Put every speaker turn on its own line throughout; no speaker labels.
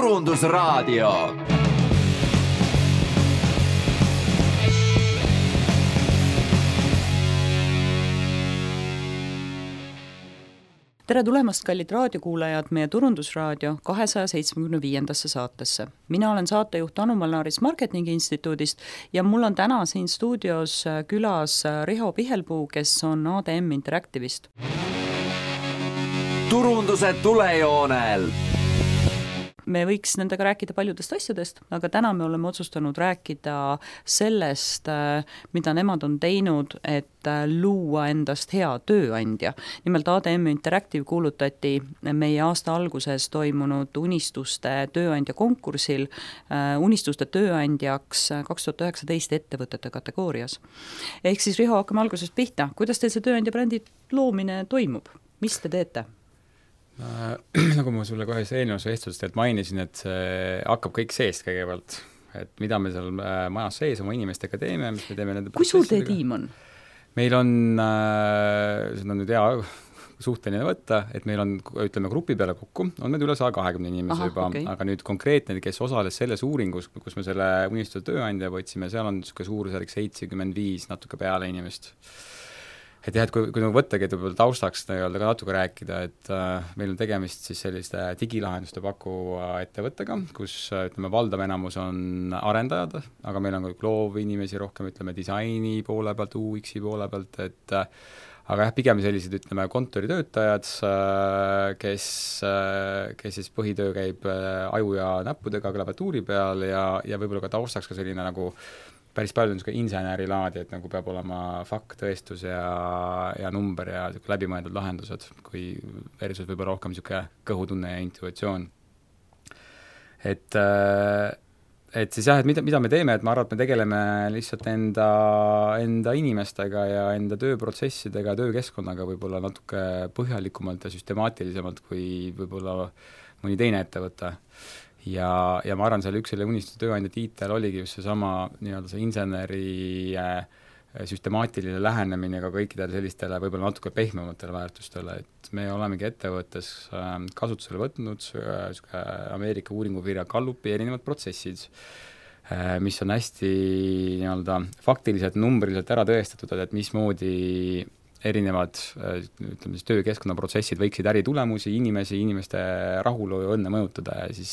Turundusraadio.
Tere tulemast, kallid raadiokuulajad, meie Turundusraadio 275. saatesse. Mina olen saatejuht Anu Malnaaris Marketingi Instituudist ja mul on täna siin stuudios külas Riho Pihelpuu, kes on ADM Interactive'ist.
Turunduse tulejoonel.
Me võiks nendega rääkida paljudest asjadest, aga täna me oleme otsustanud rääkida sellest, mida nemad on teinud, et luua endast hea tööandja. Nimelt ADM Interactive kuulutati meie aasta alguses toimunud unistuste tööandja konkursil unistuste tööandjaks 2019 ettevõtete kategoorias. Ehk siis Riho, hakkame algusest pihta. Kuidas teil see tööandja brändi loomine toimub? Mis te teete?
Nagu ma sulle kohe eelnevas vestlusest mainisin, et see hakkab kõik seest kõigepealt, et mida me seal majas sees oma inimestega teeme, mis me teeme nende
Kui suur teie tiim on?
Meil on, seda on nüüd hea suhteline võtta, et meil on, ütleme, grupi peale kokku, on meil üle 120 inimese juba, okay. Aga nüüd konkreetne, kes osales selles uuringus, kus me selle unistuse tööandja võtsime, seal on suurusjärg 75 natuke peale inimest. Et jah, et kui nagu võttagi, et võib-olla taustaks ka natuke rääkida, et meil on tegemist siis selliste digilahenduste pakuva ettevõttega, kus ütleme, valdav enamus on arendajad, aga meil on ka loovinimesi rohkem, ütleme, disaini poole pealt, UX-i poole pealt, et aga jah, pigem sellised, ütleme, kontoritöötajad, kes siis põhitöö käib aju ja näppudega klaviatuuri peal ja võib-olla ka taustaks ka selline nagu päris palju on insenerilaadi, et nagu peab olema fakt, tõestus ja number ja läbimõeldud lahendused, kui versus võib-olla rohkem kõhutunne ja intuitsioon. Et siis jah, et mida me teeme, et ma arvan, et me tegeleme lihtsalt enda inimestega ja enda tööprotsessidega, töökeskkonnaga võib-olla natuke põhjalikumalt ja süstemaatilisemalt kui võib-olla mõni teine ettevõte. Ja ma arvan, seal üks selle unistuse tööandja tiitel oligi just seesama see inseneri süstemaatiline lähenemine ka kõikidele sellistele võib-olla natuke pehmematele väärtustele, et me olemegi ettevõttes kasutusele võtnud Ameerika uuringufirma Gallupi erinevad protsessid, mis on hästi faktiliselt, numbriliselt ära tõestatud, et mismoodi erinevad ütleme, töökeskkonnaprotsessid võiksid äritulemusi, inimeste rahulolu ja õnne mõjutada ja siis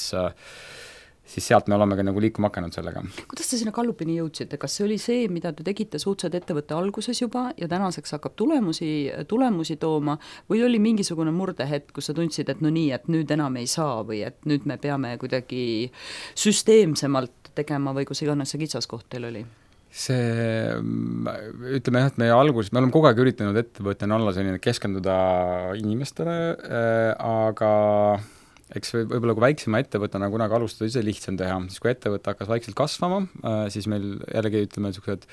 sealt me oleme ka nagu liikuma hakanud sellega.
Kuidas te sinna Gallupini jõudsite? Kas see oli see, mida te tegite suhteliselt ettevõtte alguses juba ja tänaseks hakkab tulemusi tooma või oli mingisugune murdehetk, kus sa tundsid, et no nii, et nüüd enam ei saa või et nüüd me peame kuidagi süsteemsemalt tegema või kus iganes see kitsaskoht teil oli?
See, ütleme jah, et meie alguses, me oleme kogu aeg üritanud ettevõttena olla selline keskenduda inimestele, aga eks võib-olla kui väiksema ettevõttena kunagi alustada ise lihtsam teha, siis kui ettevõte hakkas vaikselt kasvama, siis meil jällegi ütleme niisugused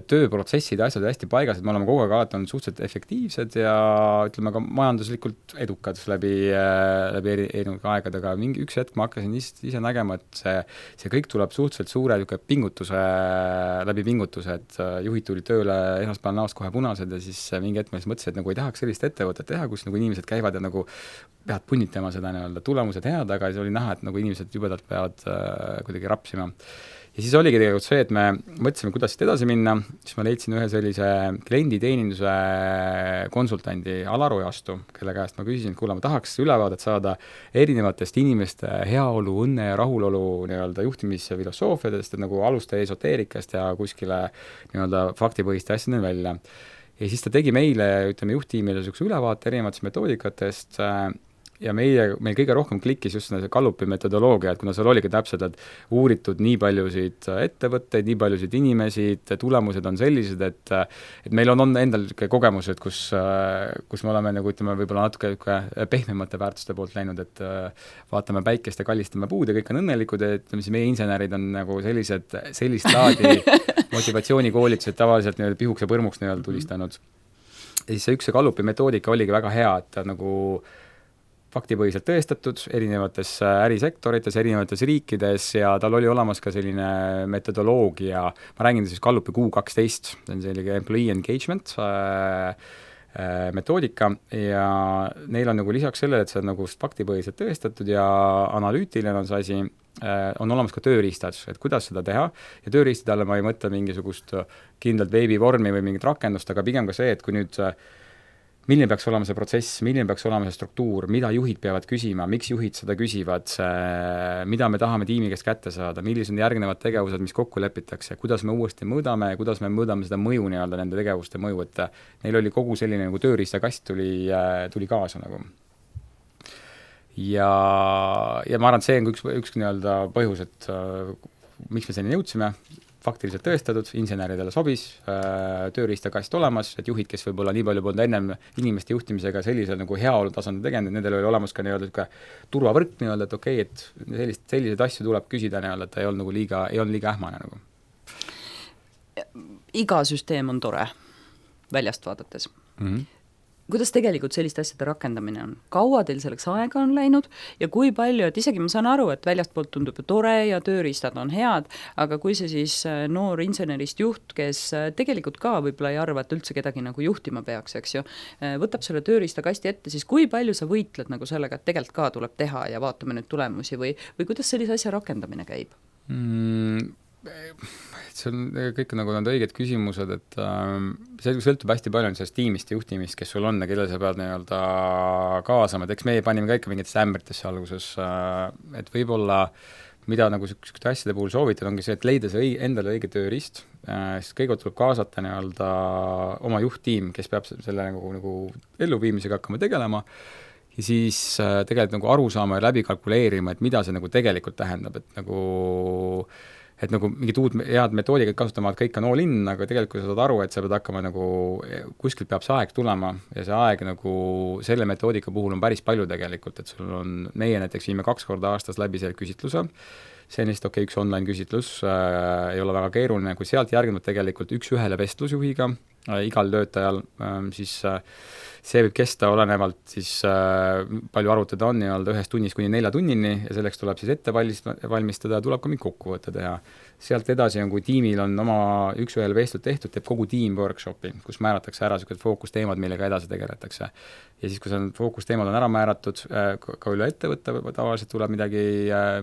tööprotsessid ja asjad hästi paigas, et me oleme kogu aeg alati olnud suhteliselt efektiivsed ja ütleme ka majanduslikult edukad läbi erinevate aegadega. Üks hetk ma hakkasin ise nägema, et see kõik tuleb suhteliselt suure läbi pingutuse, et juhid tuli tööle esmaspäeval näost kohe punased ja siis mingi hetk ma mõtlesin, et nagu ei tahaks sellist ettevõtet teha, kus nagu inimesed käivad ja nagu peavad punnitama seda tulemused head, aga siis oli näha, et nagu inimesed jubedalt peavad kuidagi rapsima. Ja siis oligi tegelikult see, et me mõtlesime, kuidas edasi minna, siis ma leidsin ühe sellise klienditeeninduse konsultandi Alar Ojastu, kelle käest ma küsisin, et kuule, ma tahaks ülevaadet saada erinevatest inimeste heaolu, õnne ja rahulolu juhtimisfilosoofiadest, et nagu alusta esoteerikast ja kuskile faktipõhiste asjadeni välja. Ja siis ta tegi meile, ütleme, juhttiimile ülevaate erinevatest metoodikatest ja meil kõige rohkem klikkis just see Gallupi metodoloogia, et kuna seal oligi täpselt, et uuritud nii paljusid ettevõtteid, nii paljusid inimesi, tulemused on sellised, et meil on endal kogemused, kus me oleme nagu, ütleme, võib-olla natuke pehmemate väärtuste poolt läinud, et vaatame päikest ja kallistame puud ja kõik on õnnelikud, et meie insenerid on nagu sellist laadi motivatsioonikoolitused tavaliselt pihuks ja põrmuks tulistanud. Ja siis see üks Gallupi metoodika oligi väga hea, et nagu faktipõhiselt tõestatud erinevates ärisektorites, erinevates riikides ja tal oli olemas ka selline metodoloogia, ma räägin siis Gallupi Q12, see on selline employee engagement, metoodika ja neil on nagu lisaks sellele, et see on nagu faktipõhiselt tõestatud ja analüütiline on see asi, on olemas ka tööriistad, et kuidas seda teha ja tööriistade alla ma ei mõtle mingisugust kindlalt veebivormi või mingit rakendust, aga pigem ka see, et kui nüüd milline peaks olema see protsess, milline peaks olema see struktuur, mida juhid peavad küsima, miks juhid seda küsivad, mida me tahame tiimi käest kätte saada, millised on järgnevad tegevused, mis kokku lepitakse, kuidas me uuesti mõõdame ja kuidas me mõõdame seda mõju nii-öelda, nende tegevuste mõju, et neil oli kogu selline nagu tööriistakast tuli kaasa nagu. Ja ma arvan, et see on üks nii-öelda põhjus, et miks me selleni jõudsime, faktiliselt tõestatud, inseneridele sobis, tööriistakast olemas, et juhid, kes võib-olla nii palju polnud ennem inimeste juhtimisega sellisel nagu heaolu tasandil tegenud, nendel oli olemas ka nii-öelda turvavõrk nii-öelda, et okei, et selliseid asju tuleb küsida nii-öelda, et ta ei olnud liiga ähmane nagu.
Iga süsteem on tore väljast vaadates. Kuidas tegelikult selliste asjade rakendamine on? Kaua teil selleks aega on läinud ja kui palju, et isegi ma saan aru, et väljast poolt tundub ju tore ja tööriistad on head, aga kui see siis noor insenerist juht, kes tegelikult ka võib-olla ei arva, et üldse kedagi nagu juhtima peaks, eks ju, võtab selle tööriistakasti ette, siis kui palju sa võitled nagu sellega, et tegelikult ka tuleb teha ja vaatame nüüd tulemusi või kuidas sellise asja rakendamine käib?
See on kõik nagu need õiged küsimused, et see sõltub hästi palju sellest tiimist ja juhtimist, kes sul on ja kellel sa pead nii-öelda kaasama, et eks meie panime ka ikka mingitesse ämbritesse alguses, et võib-olla mida nagu niisuguste asjade puhul soovitada, ongi see, et leida see endale õige tööriist, siis kõigepealt tuleb kaasata nii-öelda oma juhttiim, kes peab selle nagu elluviimisega hakkama tegelema ja siis tegelikult nagu aru saama ja läbi kalkuleerima, et mida see nagu tegelikult tähendab, et nagu mingit uut head metoodikat kasutama, et kõik on all in, aga tegelikult sa saad aru, et sa pead hakkama nagu, kuskilt peab see aeg tulema ja see aeg nagu selle metoodika puhul on päris palju tegelikult, et sul on, meie näiteks viime 2 korda aastas läbi selle küsitluse, see on lihtsalt üks online küsitlus, ei ole väga keeruline, kui sealt järgneb tegelikult 1-1 vestlusjuhiga, igal töötajal, siis see võib kesta olenevalt siis palju arvutada on nii-öelda 1 tunnist kuni 4 tunnini ja selleks tuleb siis ette valmistada ja tuleb ka mingi kokkuvõte teha. Sealt edasi on, kui tiimil on oma 1-1 vestlus tehtud, teeb kogu tiim workshopi, kus määratakse ära sellised fookusteemad, millega edasi tegeletakse. Ja siis, kui see fookusteemad on ära määratud, ka üle ettevõtte tavaliselt tuleb midagi,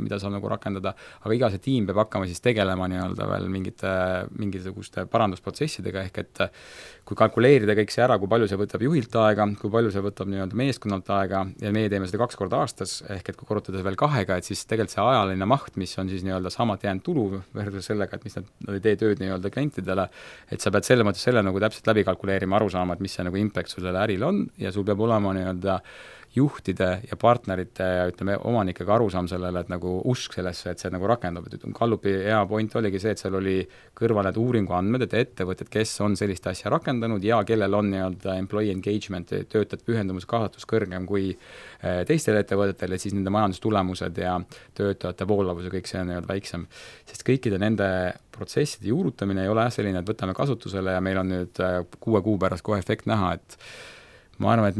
mida saab nagu rakendada, aga iga see tiim peab hakkama siis tegelema nii-öelda veel mingisuguste parandusprotsessidega, ehk et kui kalkuleerida kõik see ära, kui palju see võtab juhilt aega, kui palju see võtab nii-öelda meeskonnalt aega ja meie teeme seda 2 korda aastas, ehk et kui korrutada veel 2-ga, et siis tegelikult see ajaline maht, mis on siis nii-öelda samalt jäänud tulu versus sellega, et mis nad ei tee tööd nii-öelda klientidele, et sa pead selle mõttes selle nagu täpselt läbi kalkuleerima, aru saama, et mis see nagu impact sul selle äril on ja sul peab olema nii-öelda juhtide ja partnerite ja ütleme omanikega arusaam sellele, et nagu usk sellesse, et see nagu rakendub, et Gallupi hea point oligi see, et seal oli kõrval need uuringuandmed, et ettevõtted, kes on sellist asja rakendanud ja kellel on nii-öelda employee engagement, töötajate pühendumus, kaasatus kõrgem kui teistel ettevõtetel, et siis nende majandustulemused ja töötajate voolavus ja kõik see on nii-öelda väiksem. Sest kõikide nende protsesside juurutamine ei ole selline, et võtame kasutusele ja meil on nüüd 6 kuu pärast kohe efekt näha, et ma arvan, et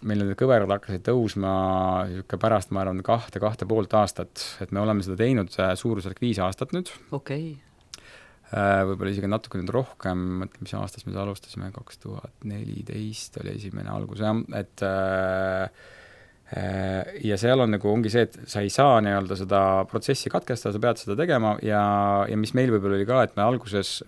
meil need kõverad hakkasid tõusma pärast, ma arvan, 2,5 aastat, et me oleme seda teinud suurusjärk 5 aastat nüüd.
Okei.
Võib-olla isegi natuke nüüd rohkem, mõtleme, mis aastast me alustasime, 2014 oli esimene algus, jah, et ja seal on nagu ongi see, et sa ei saa nii-öelda seda protsessi katkestada, sa pead seda tegema ja mis meil võib-olla oli ka, et me alguses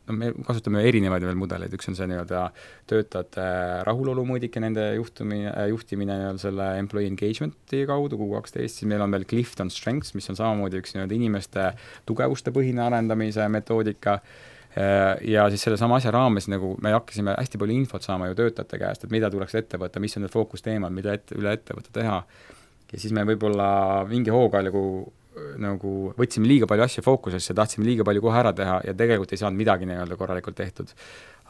me kasutame erinevaid veel mudeleid, üks on see nii-öelda töötajate rahulolumõõdike, nende juhtimine selle employee engagement'i kaudu, Q12, siis meil on veel Clifton Strengths, mis on samamoodi üks nii-öelda inimeste tugevuste põhine arendamise metoodika ja siis selle sama asja raames nagu me hakkasime hästi palju infot saama ju töötajate käest, et mida tuleks ette võtta, mis on need fookusteemad, mida üle ettevõtte teha ja siis me võib-olla mingi hooga nagu võtsime liiga palju asju fookusesse, tahtsime liiga palju kohe ära teha ja tegelikult ei saanud midagi nii-öelda korralikult tehtud.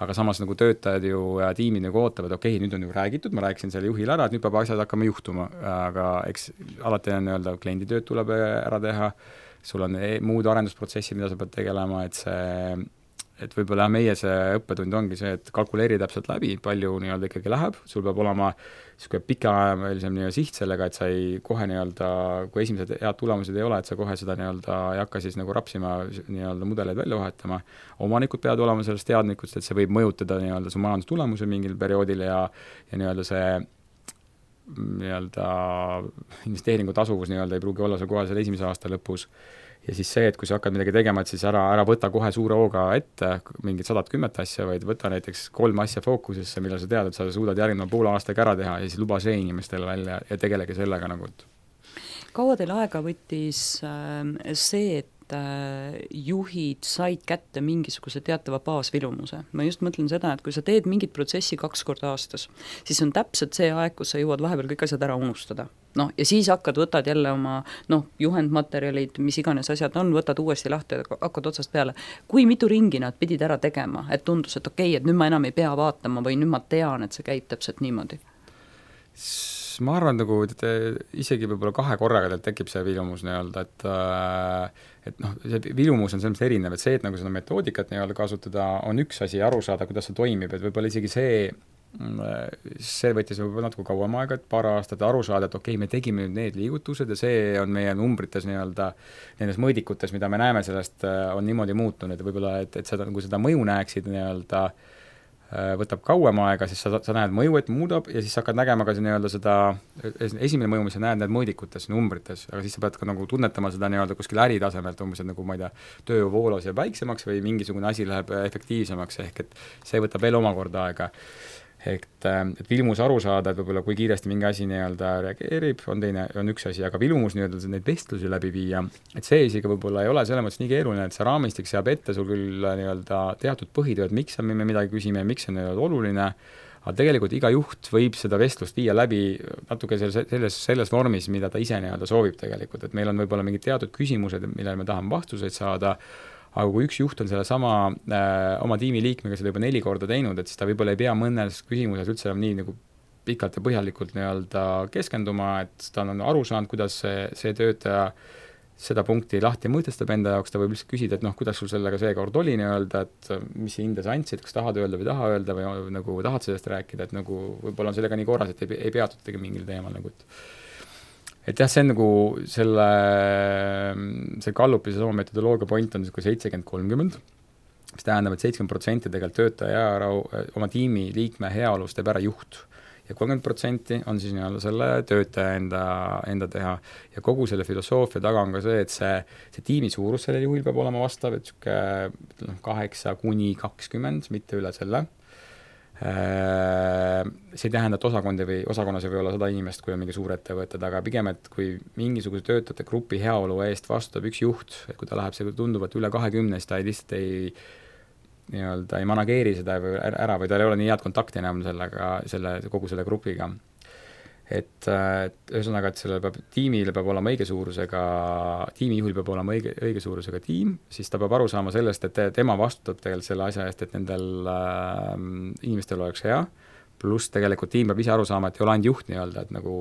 Aga samas nagu töötajad ju tiimid nagu ootavad, okei, nüüd on ju räägitud, ma rääkisin selle juhile ära, et nüüd peab asjad hakkama juhtuma, aga eks alati on nii-öelda klienditööd tuleb ära teha, sul on muud arendusprotsessid, mida sa pead tegelema, et et võib-olla meie see õppetund ongi see, et kalkuleeri täpselt läbi, palju nii-öelda ikkagi läheb, sul peab olema niisugune pikaajalisem nii-öelda siht sellega, et sa ei kohe nii-öelda, kui esimesed head tulemused ei ole, et sa kohe seda nii-öelda ei hakka siis nagu rapsima nii-öelda mudeleid välja vahetama. Omanikud peavad olema sellest teadlikud, et see võib mõjutada nii-öelda su majandustulemuse mingil perioodil ja nii-öelda see nii-öelda investeeringu tasuvus nii-öelda ei pruugi olla see kohe selle esimese aasta lõpus. Ja siis see, et kui sa hakkad midagi tegema, et siis ära võta kohe suure hooga ette mingid 110 asja, vaid võta näiteks 3 asja fookusesse, mille sa tead, et sa suudad järgneva poole aastaga ära teha ja siis luba see inimestele välja ja tegelege sellega nagu.
Kaua teil aega võttis see, et juhid said kätte mingisuguse teatava baasvilumuse. Ma just mõtlen seda, et kui sa teed mingit protsessi 2 korda aastas, siis on täpselt see aeg, kus sa jõuad vahepeal kõik asjad ära unustada. Ja siis võtad jälle oma juhendmaterjalid, mis iganes asjad on, võtad uuesti lahti ja hakkad otsast peale. Kui mitu ringi nad pidid ära tegema, et tundus, et okei, et nüüd ma enam ei pea vaatama või nüüd ma tean, et see käib täpselt niimoodi?
Ma arvan, nagu isegi võib-olla 2 korraga teil tekib see vilumus nii-öelda, et see vilumus on selles erinev, et see, et nagu seda metoodikat nii-öelda kasutada, on üks asi aru saada, kuidas see toimib, et võib-olla isegi see võttis võib-olla natuke kauem aega, et 2 aastat aru saada, et okei, me tegime nüüd need liigutused ja see on meie numbrites nii-öelda, nendes mõõdikutes, mida me näeme sellest, on niimoodi muutunud, võib-olla, et seda, kui seda mõju näeksid nii-öelda, võtab kauem aega, siis sa näed mõju, et muudab ja siis hakkad nägema ka nii-öelda seda, esimene mõju, mis sa näed mõõdikutes, numbrites, aga siis sa pead ka nagu tunnetama seda nii-öelda kuskil äritasemelt, umbes nagu ma ei tea, töövoolos jääb väiksemaks või mingisugune asi läheb efektiivsemaks, ehk et see võtab veel omakorda aega. Et vilmus aru saada, et võib-olla kui kiiresti mingi asi nii-öelda reageerib, on üks asi, aga vilmus nii-öelda neid vestlusi läbi viia, et see isegi võib-olla ei ole selles mõttes nii keeruline, et see raamistik seab ette sul küll nii-öelda teatud põhitööd, miks me midagi küsime ja miks see on oluline, aga tegelikult iga juht võib seda vestlust viia läbi natuke selles vormis, mida ta ise nii-öelda soovib tegelikult, et meil on võib-olla mingid teatud küsimused, millele me tahame vastuseid saada, aga kui üks juht on selle sama oma tiimi liikmega seda juba 4 korda teinud, et siis ta võib-olla ei pea mõnes küsimuses üldse nii nagu pikalt ja põhjalikult nii-öelda keskenduma, et ta on aru saanud, kuidas see töötaja seda punkti lahti mõtestab enda jaoks, ta võib lihtsalt küsida, et kuidas sul sellega seekord oli nii-öelda, et mis hinde sa andsid, kas tahad öelda või taha öelda või nagu tahad sellest rääkida, et nagu võib-olla on sellega nii korras, et ei peatutagi mingil teemal nagu, et jah, see on nagu see Gallupi see sama metodoloogia point on 70-30, mis tähendab, et 70% tegelikult töötaja oma tiimi liikme heaolust teeb ära juht ja 30% on siis nii-öelda selle töötaja enda teha ja kogu selle filosoofia taga on ka see, et see tiimi suurus sellel juhil peab olema vastav, et 8-20, mitte üle selle. See ei tähenda, et osakonnas ei või olla 100 inimest, kui on mingi suur ettevõtted, aga pigem, et kui mingisuguse töötajate grupi heaolu eest vastutab üks juht, et kui ta läheb see tunduvalt üle 20, siis ta lihtsalt ei manageeri seda ära või tal ei ole nii head kontakti enam kogu selle grupiga. Et ühesõnaga, et tiimile peab olema õige suurusega, tiimijuhil peab olema õige suurusega tiim, siis ta peab aru saama sellest, et tema vastutab tegelikult selle asja eest, et nendel inimestel oleks hea, pluss tegelikult tiim peab ise aru saama, et ei ole ainult juht nii-öelda, et nagu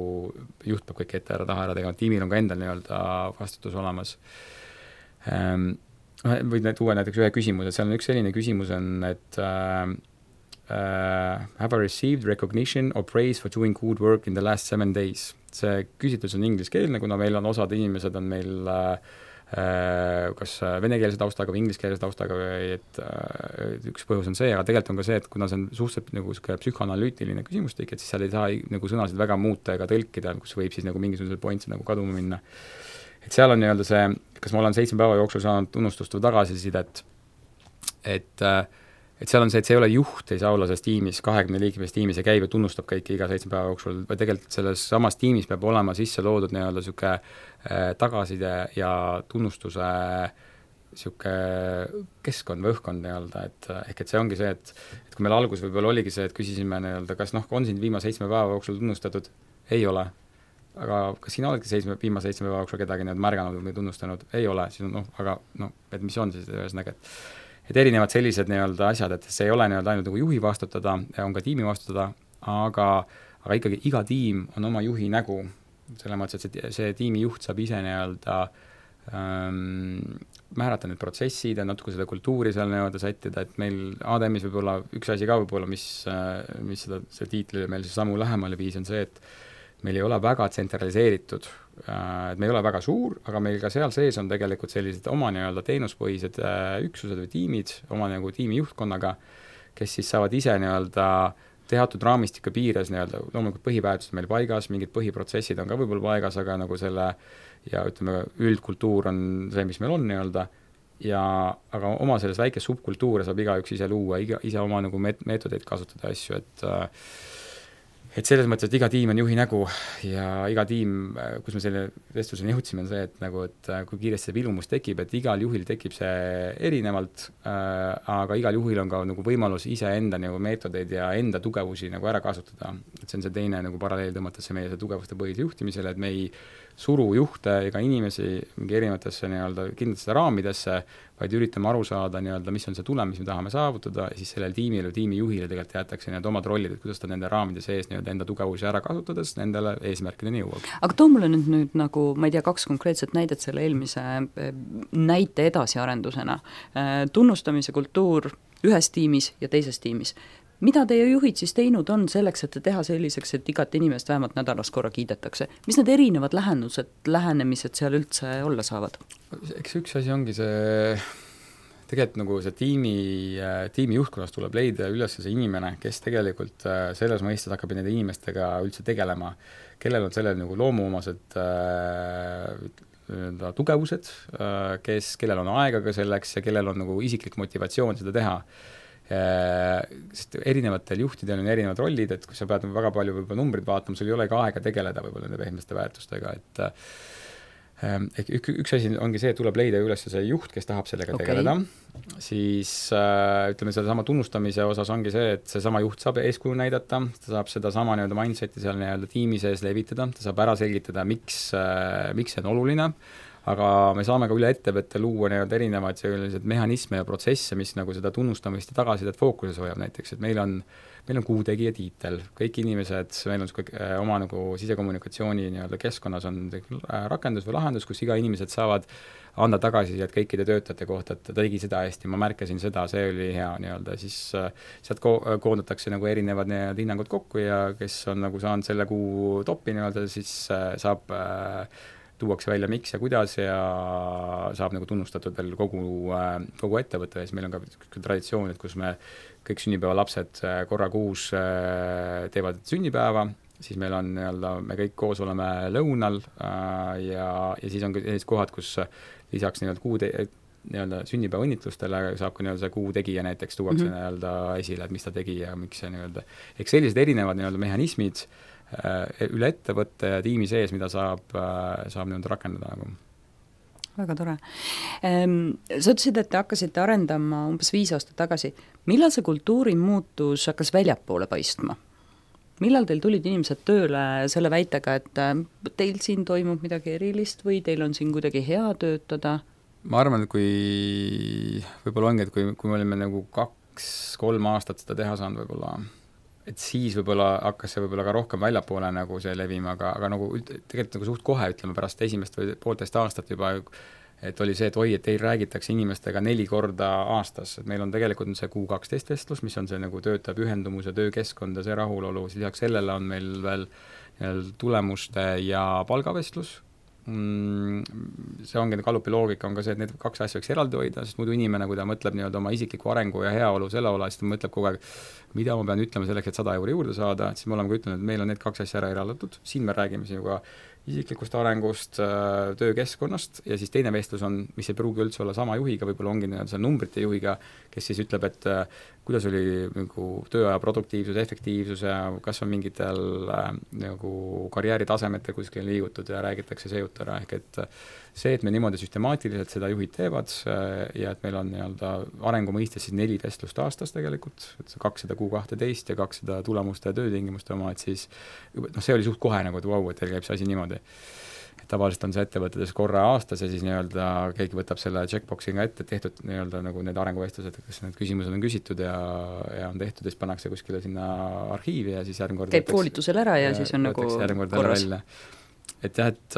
juht peab kõik ette taha ära tegema, tiimil on ka endal nii-öelda vastutus olemas. Võid tuua näiteks ühe küsimuse, seal on üks selline küsimus on, et have I received recognition or praise for doing good work in the last 7 days? See küsitlus on ingliskeelne, kuna meil on osad inimesed on meil kas venekeelse taustaga või ingliskeelse taustaga või et üks põhjus on see, aga tegelikult on ka see, et kuna see on suhteliselt nagu psühhoanalüütiline küsimustik, et siis seal ei saa nagu sõnasid väga muuta ega tõlkida, kus võib siis nagu mingisugusel pointsi nagu kaduma minna. Et seal on nii-öelda see, kas ma olen 7 päeva jooksul saanud tunnustust või tagasisidet, et seal on see, et see ei ole juht, ei saa olla selles tiimis, 20 liikmest tiimis ja käib ja tunnustab kõiki iga 7 päeva jooksul, või tegelikult selles samas tiimis peab olema sisse loodud nii-öelda siuke tagaside ja tunnustuse siuke keskkond või õhkkond nii-öelda, et see ongi see, et kui meil algus võib-olla oligi see, et küsisime nii-öelda, kas on sind viimase 7 päeva jooksul tunnustatud, ei ole. Aga kas sina oledki viimase 7 päeva jooksul kedagi märganud või tunnustanud, ei ole, siis aga et mis on siis ühesõnaga, et erinevad sellised nii-öelda asjad, et see ei ole nii-öelda ainult nagu juhi vastutada, on ka tiimi vastutada, aga ikkagi iga tiim on oma juhi nägu, selles mõttes, et see tiimi juht saab ise nii-öelda määrata need protsessid ja natuke seda kultuuri seal nii-öelda sättida, et meil ADM-is võib-olla üks asi ka võib-olla, mis see tiitlile meil siis sammu lähemale viis, on see, et meil ei ole väga tsentraliseeritud, et me ei ole väga suur, aga meil ka seal sees on tegelikult sellised oma nii-öelda teenuspõhised üksused või tiimid, oma nagu tiimi juhtkonnaga, kes siis saavad ise nii-öelda teatud raamistiku piires nii-öelda, loomulikult põhiväärtused meil paigas, mingid põhiprotsessid on ka võib-olla paigas, aga nagu selle ja ütleme, üldkultuur on see, mis meil on nii-öelda, aga oma selles väikes subkultuure saab igaüks ise luua, ise oma nagu meetodeid kasutada asju, et selles mõttes, et iga tiim on juhi nägu ja iga tiim, kus me selle vestluseni jõudsime, on see, et nagu, et kui kiiresti see vilumus tekib, et igal juhil tekib see erinevalt, aga igal juhil on ka nagu võimalus iseenda nagu meetodeid ja enda tugevusi nagu ära kasutada. Et see on see teine nagu paralleel tõmmates meie see tugevuste põhise juhtimisele, et me ei suru juhte ega inimesi mingi erinevatesse nii-öelda kindlatesse raamidesse, vaid üritame aru saada nii-öelda, mis on see tulem, mis me tahame saavutada, ja siis sellel tiimile, tiimijuhile tegelikult jäetakse nii-öelda omad rollid, et kuidas ta nende raamide sees nii-öelda enda tugevusi ära kasutades nendele eesmärkideni jõuab.
Aga too mulle nüüd nagu, ma ei tea, 2 konkreetset näidet selle eelmise näite edasiarendusena. Tunnustamise kultuur ühes tiimis ja teises tiimis. Mida teie juhid siis teinud on selleks, et teha selliseks, et igat inimest vähemalt nädalas korra kiidetakse? Mis need erinevad lähenemised seal üldse olla saavad?
Eks üks asi ongi see, tegelikult nagu see tiimi juhtkonnas tuleb leida üles see inimene, kes tegelikult selles mõistes hakkab nende inimestega üldse tegelema, kellel on sellel nagu loomuomased tugevused, kellel on aega ka selleks ja kellel on nagu isiklik motivatsioon seda teha. Sest erinevatel juhtidel on erinevad rollid, et kui sa pead väga palju võib-olla numbrid vaatama, sul ei ole ka aega tegeleda võib-olla nende pehmeste väärtustega, et üks asi ongi see, et tuleb leida üles see juht, kes tahab sellega tegeleda, siis ütleme, selle sama tunnustamise osas ongi see, et see sama juht saab eeskuju näidata, ta saab seda sama nii-öelda mindseti seal nii-öelda tiimi sees levitada, ta saab ära selgitada, miks see on oluline, aga me saame ka üle ettevõtte luua nii-öelda erinevaid sellised mehhanisme ja protsesse, mis nagu seda tunnustamist ja tagasisidet fookuses hoiab näiteks, et meil on kuutegija tiitel, kõik inimesed, meil on oma nagu sisekommunikatsiooni nii-öelda keskkonnas on rakendus või lahendus, kus iga inimesed saavad anda tagasisidet kõikide töötajate kohta, et ta tegi seda hästi, ma märkasin seda, see oli hea nii-öelda, siis sealt koondatakse nagu erinevad nii-öelda hinnangud kokku ja kes on nagu saanud selle kuu topi nii-öelda, siis saab tuuakse välja miks ja kuidas ja saab nagu tunnustatud veel kogu ettevõtte ees. Meil on ka traditsioon, et kus me kõik sünnipäevalapsed korra kuus teevad sünnipäeva, siis meil on nii-öelda, me kõik koos oleme lõunal ja siis on ka sellised kohad, kus lisaks nii-öelda sünnipäeva õnnitlustele saab ka nii-öelda see kuu tegija näiteks tuuakse nii-öelda esile, et mis ta tegi ja miks see nii-öelda. Eks sellised erinevad nii-öelda mehhanismid üle ettevõtte ja tiimi sees, mida saab nii-öelda rakendada nagu.
Väga tore. Sa ütlesid, et te hakkasite arendama umbes 5 aastat tagasi. Millal see kultuuri muutus hakkas väljapoole paistma? Millal teil tulid inimesed tööle selle väitega, et teil siin toimub midagi erilist või teil on siin kuidagi hea töötada?
Ma arvan, et kui võib-olla ongi, et kui me olime nagu 2-3 aastat seda teha saanud võib-olla, et siis võib-olla hakkas see võib-olla ka rohkem väljapoole nagu see levima, aga nagu tegelikult nagu suht kohe, ütleme pärast esimest või 1,5 aastat juba, et oli see, et oi, et teil räägitakse inimestega 4 korda aastas, et meil on tegelikult see Q12 vestlus, mis on see nagu töötaja pühendumus ja töökeskkond ja see rahulolu, siis lisaks sellele on meil veel tulemuste ja palgavestlus. See ongi Gallupi loogika on ka see, et need 2 asja võiks eraldi hoida, sest muidu inimene, kui ta mõtleb nii-öelda oma isikliku arengu ja heaolu selle ola, siis ta mõtleb kogu aeg, mida ma pean ütlema selleks, et 100 € juurde saada, et siis me oleme ka ütlenud, et meil on need 2 asja ära eraldatud, siin me räägime sinuga isiklikust arengust, töökeskkonnast ja siis teine vestlus on, mis ei pruugi üldse olla sama juhiga, võib-olla ongi see numbrite juhiga, kes siis ütleb, et kuidas oli nagu tööaja produktiivsus, efektiivsus ja kas on mingitel nagu karjääritasemetel kuskil liigutud ja räägitakse see jutt ära, ehk et see, et me niimoodi süstemaatiliselt seda juhid teevad ja et meil on nii-öelda arengu mõistes siis 4 vestlust aastas tegelikult, et 200 Q12 ja 200 tulemuste ja töötingimuste oma, et siis see oli suht kohe nagu, et vau, et teil käib see asi niimoodi. Et tavaliselt on see ettevõtetes korra aastas ja siis nii-öelda keegi võtab selle checkboxinga ette, tehtud nii-öelda nagu need arenguvestlused, kas need küsimused on küsitud ja on tehtud ja siis pannakse kuskile sinna arhiivi ja siis järgmine kord
käib koolitusel ära ja siis on nagu
korras. Et jah, et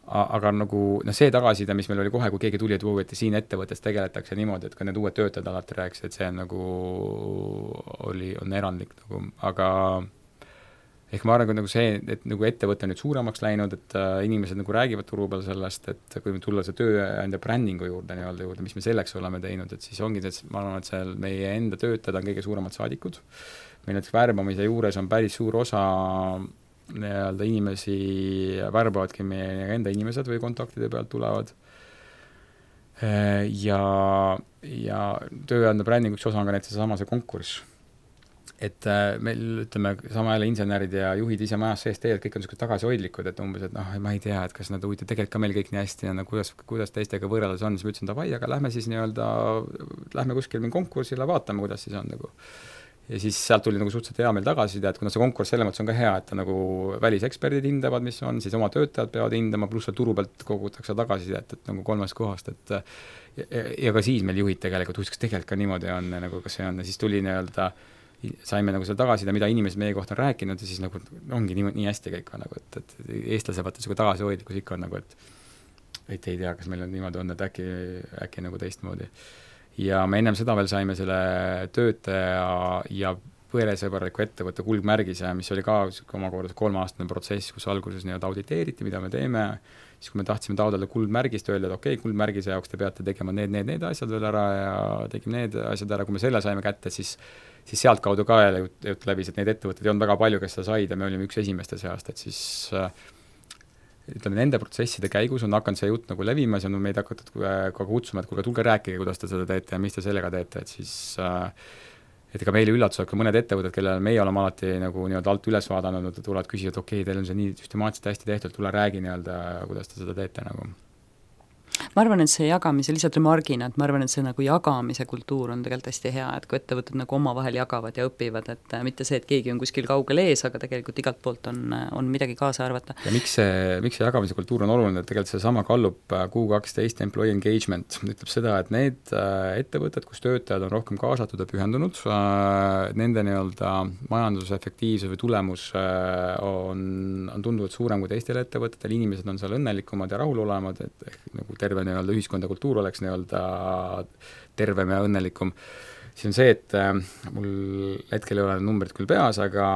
aga nagu see tagasiside, mis meil oli kohe, kui keegi tuli, et siin ettevõttes tegeletakse niimoodi, et ka need uued töötajad alati rääkisid, et see on nagu on erandlik nagu, aga ehk ma arvan, nagu see, et nagu ettevõte on nüüd suuremaks läinud, et inimesed nagu räägivad turu peal sellest, et kui tulla see tööandja brändingu juurde, mis me selleks oleme teinud, et siis ongi see, ma arvan, et seal meie enda töötajad on kõige suuremad saadikud. Meil näiteks värbamise juures on päris suur osa inimesi värbavadki meie enda inimesed või kontaktide pealt tulevad. Ja tööandja brändingu üks osa on ka näiteks see konkurss. Et meil, ütleme, sama jälle insenerid ja juhid ise majas sees tegelikult kõik on tagasihoidlikud, et umbes, et ma ei tea, et kas nad huvitav, tegelikult ka meil kõik nii hästi ja kuidas teistega võrreldes on, siis ma ütlesin, davai, aga lähme siis lähme kuskil mingi konkursile, vaatame, kuidas siis on nagu. Ja siis sealt tuli nagu suhteliselt hea meil tagasiside, et kuna see konkurss selle mõttes on ka hea, et nagu väliseksperdid hindavad, mis on, siis oma töötajad peavad hindama, pluss turu pealt kogutakse tagasiside, et nagu 3 kohast, et ja ka siis meil juhid tegelikult, kas tegelikult ka niimoodi on, nagu kas see on, ja siis tuli saime nagu selle tagasiside, mida inimesed meie kohta on rääkinud ja siis nagu ongi nii hästi kõik on nagu, et eestlase vaata tagasihoidlikkus ikka on nagu, et ei tea, kas meil on niimoodi on, et äkki nagu teistmoodi. Ja me ennem seda veel saime selle töötaja ja põresõbraliku ettevõtte kuldmärgise, mis oli ka omakorda 3-aastane protsess, kus alguses auditeeriti, mida me teeme, siis kui me tahtsime taotleda kuldmärgist, öelda, et okei, kuldmärgise jaoks te peate tegema need asjad veel ära ja tegime need asjad ära, kui me selle saime kätte, siis sealt kaudu ka jälle jutt läbis, et neid ettevõtteid ei olnud väga palju, kes seda said ja me olime üks esimeste seast, et siis ütleme, nende protsesside käigus on hakanud see jutt nagu levimas ja meid hakatud ka kutsuma, et kuulge, tulge rääkige, kuidas te seda teete ja mis te sellega teete, et siis et ega meile üllatused ka mõned ettevõtted, kellele meie oleme alati nagu alt üles vaadanud, tulevad küsida, et okei, teil on see nii süstemaatiliselt hästi tehtud, tule räägi kuidas te seda teete nagu.
Ma arvan, et see jagamise, lihtsalt remargina, et ma arvan, et see nagu jagamise kultuur on tegelikult hästi hea, et kui ettevõtted nagu omavahel jagavad ja õpivad, et mitte see, et keegi on kuskil kaugel ees, aga tegelikult igalt poolt on midagi kaasa arvata.
Ja miks see jagamise kultuur on oluline, et tegelikult see sama Gallup Q12 Employee Engagement ütleb seda, et need ettevõtted, kus töötajad on rohkem kaasatud ja pühendunud, nende majandusefektiivsus või tulemus on tunduvalt suurem kui teistel ettevõtetel, inimesed on seal õnnelikumad ja rahulolemad, et nagu terve ühiskond ja kultuur oleks tervem ja õnnelikum. Siis on see, et mul hetkel ei ole numbrid küll peas, aga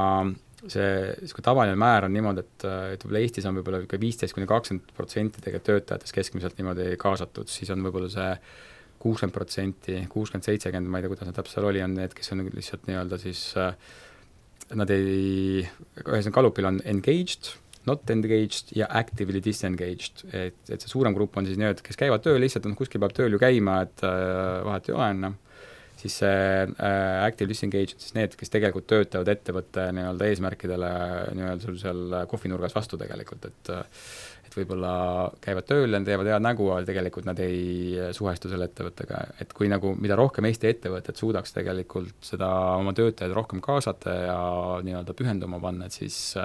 see tavaline määr on niimoodi, et võib-olla Eestis on võib-olla 15-20% tegelikult töötajatest keskmiselt niimoodi kaasatud, siis on võib-olla see 60%, 60-70%, ma ei tea, kuidas nad täpselt seal oli, on need, kes on lihtsalt siis nad ühesõnaga Gallupil on engaged, not engaged ja actively disengaged, et see suurem grupp on siis kes käivad tööl, lihtsalt kuskil peab tööl ju käima, et vahet ei ole enne, siis see active disengaged, siis need, kes tegelikult töötavad ettevõtte eesmärkidele sul seal kohvinurgas vastu tegelikult, et võib-olla käivad tööl ja teevad head nägu, aga tegelikult nad ei suhestu selle ettevõttega, et kui mida rohkem Eesti ettevõtted suudaks tegelikult seda oma töötajaid rohkem kaasata ja pühenduma panna, et siis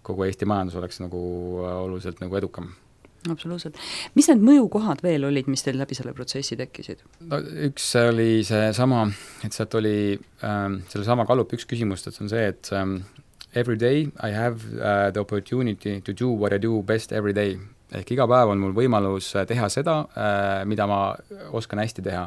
kogu Eesti majandus oleks nagu oluliselt nagu edukam.
Absoluutselt. Mis need mõjukohad veel olid, mis teil läbi selle protsessi tekkisid?
No, üks oli see sama, et sealt oli selle sama Gallup üks küsimus, et on see, et every day I have the opportunity to do what I do best every day. Ehk iga päev on mul võimalus teha seda, mida ma oskan hästi teha.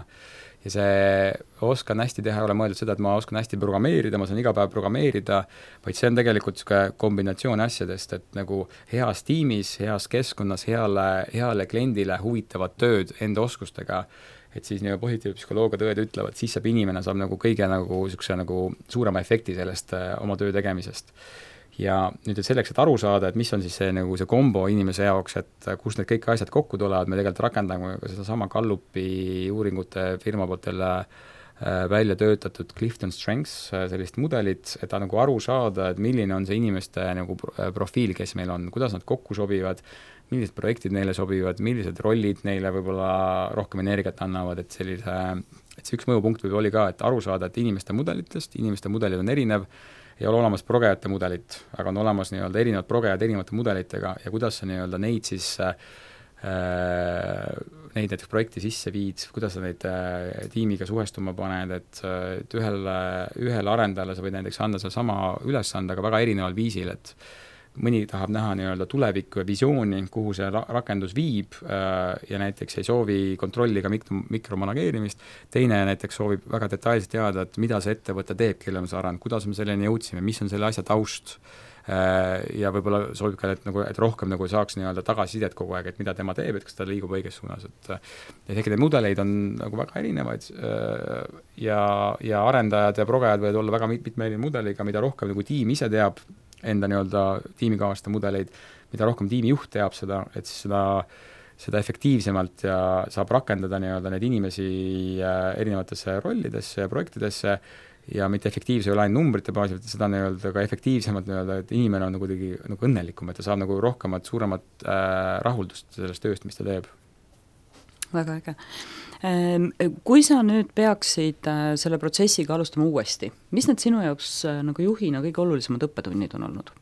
Ja see oskan hästi teha ei ole mõeldud seda, et ma oskan hästi programmeerida, ma saan iga päev programmeerida, vaid see on tegelikult kombinatsioon asjadest, et nagu heas tiimis, heas keskkonnas, heale kliendile huvitavad tööd enda oskustega, et siis positiivne psühholoogia tõed ütlevad, siis inimene saab nagu kõige suurema efekti sellest oma töö tegemisest. Ja nüüd selleks, et aru saada, et mis on siis see kombo inimese jaoks, et kus need kõik asjad kokku tulevad, me tegelikult rakendame ka seda sama Gallupi uuringute firma poolt välja töötatud Clifton Strengths sellist mudelit, et nagu aru saada, et milline on see inimeste profiil, kes meil on, kuidas nad kokku sobivad, millised projektid neile sobivad, millised rollid neile võib-olla rohkem energiat annavad, et see üks mõjupunkt oli ka, et aru saada, et inimeste mudelid on erinev, ei ole olemas progejate mudelit, aga on olemas erinevad progejad erinevate mudelitega ja kuidas sa neid siis neid näiteks projekti sisse viid, kuidas sa neid tiimiga suhestuma paned, et ühele arendajale sa võid näiteks anda selle sama ülesande, aga väga erineval viisil, et mõni tahab näha nii-öelda tulevikku ja visiooni, kuhu see rakendus viib ja näiteks ei soovi kontrolli ka mikromanageerimist, teine näiteks soovib väga detailselt teada, et mida see ettevõte teeb, kelle on see arend, kuidas me selleni jõudsime, mis on selle asja taust ja võib-olla soovib ka, et rohkem nagu saaks nii-öelda tagasisidet kogu aeg, et mida tema teeb, et kas ta liigub õiges suunas, et ehk neid mudeleid on nagu väga erinevaid ja arendajad ja progejad võivad olla väga mitme mudeliga, mida rohkem nagu tiim ise teab enda nii-öelda tiimikaaslaste mudeleid, mida rohkem tiimijuht teab seda, et siis seda efektiivsemalt ja saab rakendada nii-öelda neid inimesi erinevatesse rollidesse ja projektidesse ja mitte efektiivse ei ole ainult numbrite baasil, et seda nii-öelda ka efektiivsemalt nii-öelda, et inimene on nagu kuidagi nagu õnnelikum, et ta saab nagu rohkemat, suuremat rahuldust sellest tööst, mis ta teeb.
Väga äge. Kui sa nüüd peaksid selle protsessiga alustama uuesti, mis need sinu jaoks nagu juhina kõige olulisemad õppetunnid on olnud?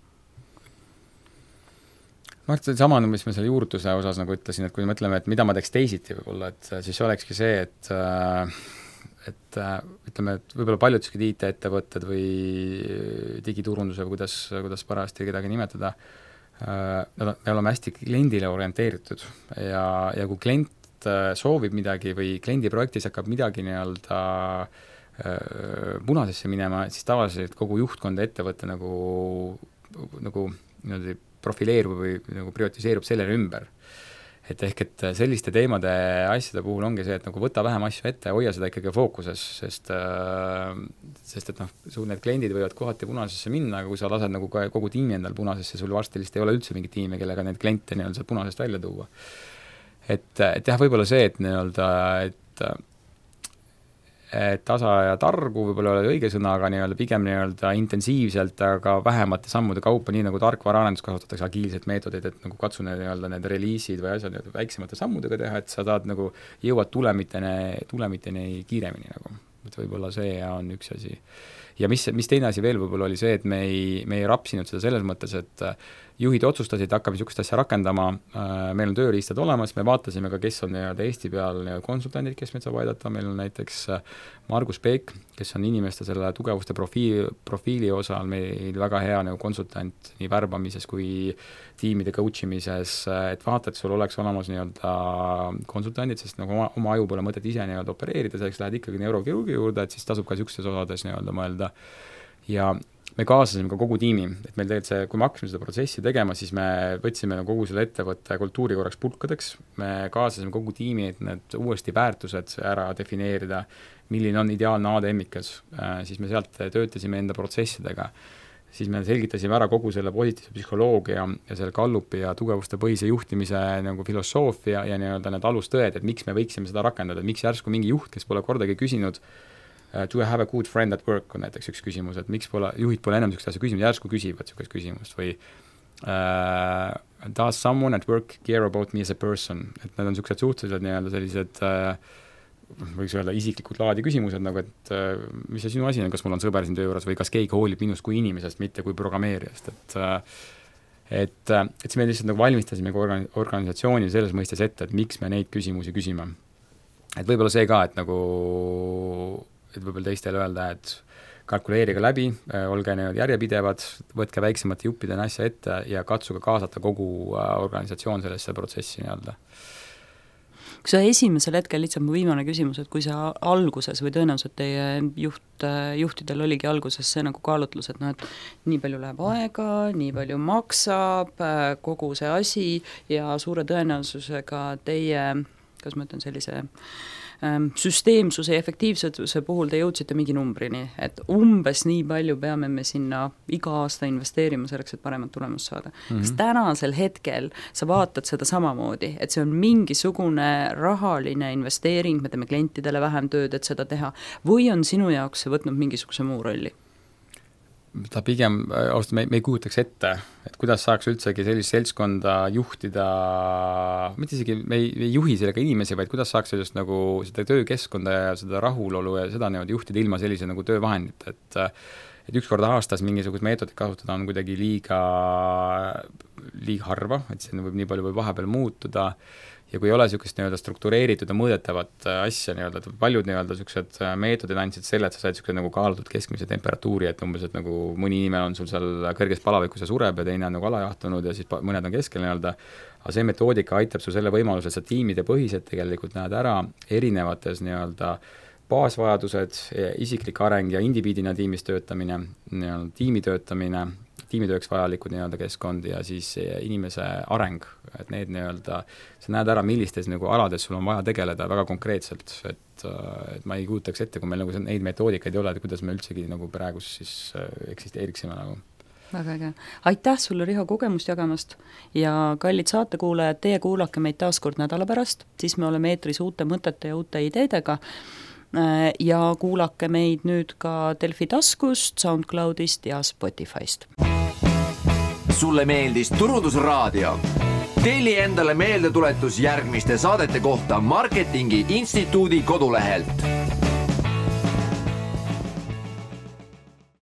Sama, mis me selle juurutuse osas nagu ütlesin, et kui mõtleme, et mida ma teeks teisiti võib-olla, et siis olekski see, et ütleme, et võib-olla paljud IT-ettevõtted või digiturunduse või kuidas parajasti kedagi nimetada, me oleme hästi kliendile orienteeritud ja kui klient soovib midagi või kliendi projektis hakkab midagi nii-öelda punasesse minema, siis tavaliselt kogu juhtkond ettevõtte nagu niimoodi profileerub või nagu prioritiseerub sellele ümber. Et ehk, et selliste teemade asjade puhul ongi see, et nagu võta vähem asju ette ja hoia seda ikkagi fookuses, sest et sul need kliendid võivad kohati punasesse minna, aga kui sa lased nagu kogu tiimi endal punasesse, sul varsti ei ole üldse mingit tiimi, kellega neid kliente nii-öelda punasest välja tuua. Et jah, võib-olla see, et nii-öelda, et tasa ja targu võib-olla ei ole õige sõna, aga nii-öelda pigem nii-öelda intensiivselt, aga vähemate sammude kaupa, nii nagu tarkvaraarendus kasutatakse agiilset meetodeid, et nagu katsu nii-öelda need reliisid või asjad väiksemate sammudega teha, et sa saad nagu jõuad tulemiteni kiiremini nagu. Et võib-olla see on üks asi. Ja mis teine asi veel võib-olla oli see, et me ei rapsinud seda selles mõttes, et juhid otsustasid, hakkame niisugust asja rakendama, meil on tööriistad olemas, me vaatasime ka, kes on Eesti peal konsultandid, kes meid saab aidata, meil on näiteks Margus Peek, kes on inimeste selle tugevuste profiili osal meil väga hea konsultant nii värbamises kui tiimide coach imises, et vaata, et sul oleks olemas nii-öelda konsultandid, sest nagu oma aju pole mõtet ise nii-öelda opereerida, selleks lähed ikkagi neurokirurgi juurde, et siis tasub ka niisugustes osades nii-öelda mõelda. Ja me kaasasime ka kogu tiimi, et meil tegelikult see, kui me hakkasime seda protsessi tegema, siis me võtsime kogu selle ettevõtte kultuuri korraks pulkadeks, me kaasasime kogu tiimi, et need uuesti väärtused ära defineerida, milline on ideaalne ADM-ikas, siis me sealt töötasime enda protsessidega, siis me selgitasime ära kogu selle positiivse psühholoogia ja selle Gallupi ja tugevuste põhise juhtimise nagu filosoofia ja nii-öelda need alustõed, et miks me võiksime seda rakendada, et miks järsku mingi juht, kes pole kordagi küsinud do I have a good friend at work on näiteks üks küsimus, et miks juhid pole enam niisugust asja küsinud, järsku küsivad niisugust küsimust või does someone at work care about me as a person, et need on niisugused suhteliselt nii-öelda sellised võiks öelda isiklikud laadi küsimused, nagu et mis see sinu asi on, kas mul on sõber siin töö juures või kas keegi hoolib minust kui inimesest, mitte kui programmeerijast, et siis me lihtsalt nagu valmistasime organisatsiooni selles mõistes ette, et miks me neid küsimusi küsime. Et võib-olla see ka, et võib-olla teistele öelda, et kalkuleerige läbi, olge järjepidevad, võtke väiksemate juppidena asja ette ja katsuge kaasata kogu organisatsioon sellesse protsessi nii-öelda.
Kui sa esimesel hetkel, lihtsalt mu viimane küsimus, et kui sa alguses või tõenäoliselt teie juhtidel oligi alguses see nagu kaalutlus, et et nii palju läheb aega, nii palju maksab, kogu see asi ja suure tõenäosusega teie, kas ma ütlen sellise süsteemsuse ja efektiivsuse puhul te jõudsite mingi numbrini, et umbes nii palju peame me sinna iga aasta investeerima selleks, et paremat tulemust saada. Kas tänasel hetkel sa vaatad seda samamoodi, et see on mingisugune rahaline investeering, me teeme klientidele vähem tööd, et seda teha, või on sinu jaoks see võtnud mingisuguse muu rolli?
Ta pigem, me ei kujutaks ette, et kuidas saaks üldsegi sellist seltskonda juhtida, mitte isegi me ei juhi sellega inimesi, vaid kuidas saaks sellist nagu seda töökeskkonda ja seda rahulolu ja seda juhtida ilma sellise nagu töövahendit, et et üks kord aastas mingisugust meetodit kasutada on kuidagi liiga harva, et see võib nii palju või vahepeal muutuda ja kui ei ole niisugust nii-öelda struktureeritud ja mõõdetavat asja nii-öelda, et paljud nii-öelda niisugused meetodid andsid selle, et sa said niisuguse nagu kaalutud keskmise temperatuuri, et umbes, et nagu mõni inimene on sul seal kõrges palavikus ja sureb ja teine on nagu alajahtunud ja siis mõned on keskel nii-öelda, aga see metoodika aitab su selle võimaluse, et sa tiimide põhiselt tegelikult näed ära erinevates nii-öelda baasvajadused, isiklik areng ja indiviidina tiimis töötamine, nii-öelda tiimi töötamine, tiimitööks vajalikud nii-öelda keskkond ja siis inimese areng, et need nii-öelda, sa näed ära, millistes nagu alades sul on vaja tegeleda väga konkreetselt, et ma ei kujutaks ette, kui meil nagu neid metoodikaid ei ole, et kuidas me üldsegi nagu praegu siis eksisteeriksime nagu.
Väga äge. Aitäh sulle, Riho, kogemust jagamast ja kallid saatekuulajad, teie kuulake meid taas kord nädala pärast, siis me oleme eetris uute mõtete ja uute ideedega ja kuulake meid nüüd ka Delfi taskust, SoundCloudist ja Spotifyst.
Sulle meeldis Turundusraadio? Telli endale meeldetuletus järgmiste saadete kohta Marketingi Instituudi kodulehelt.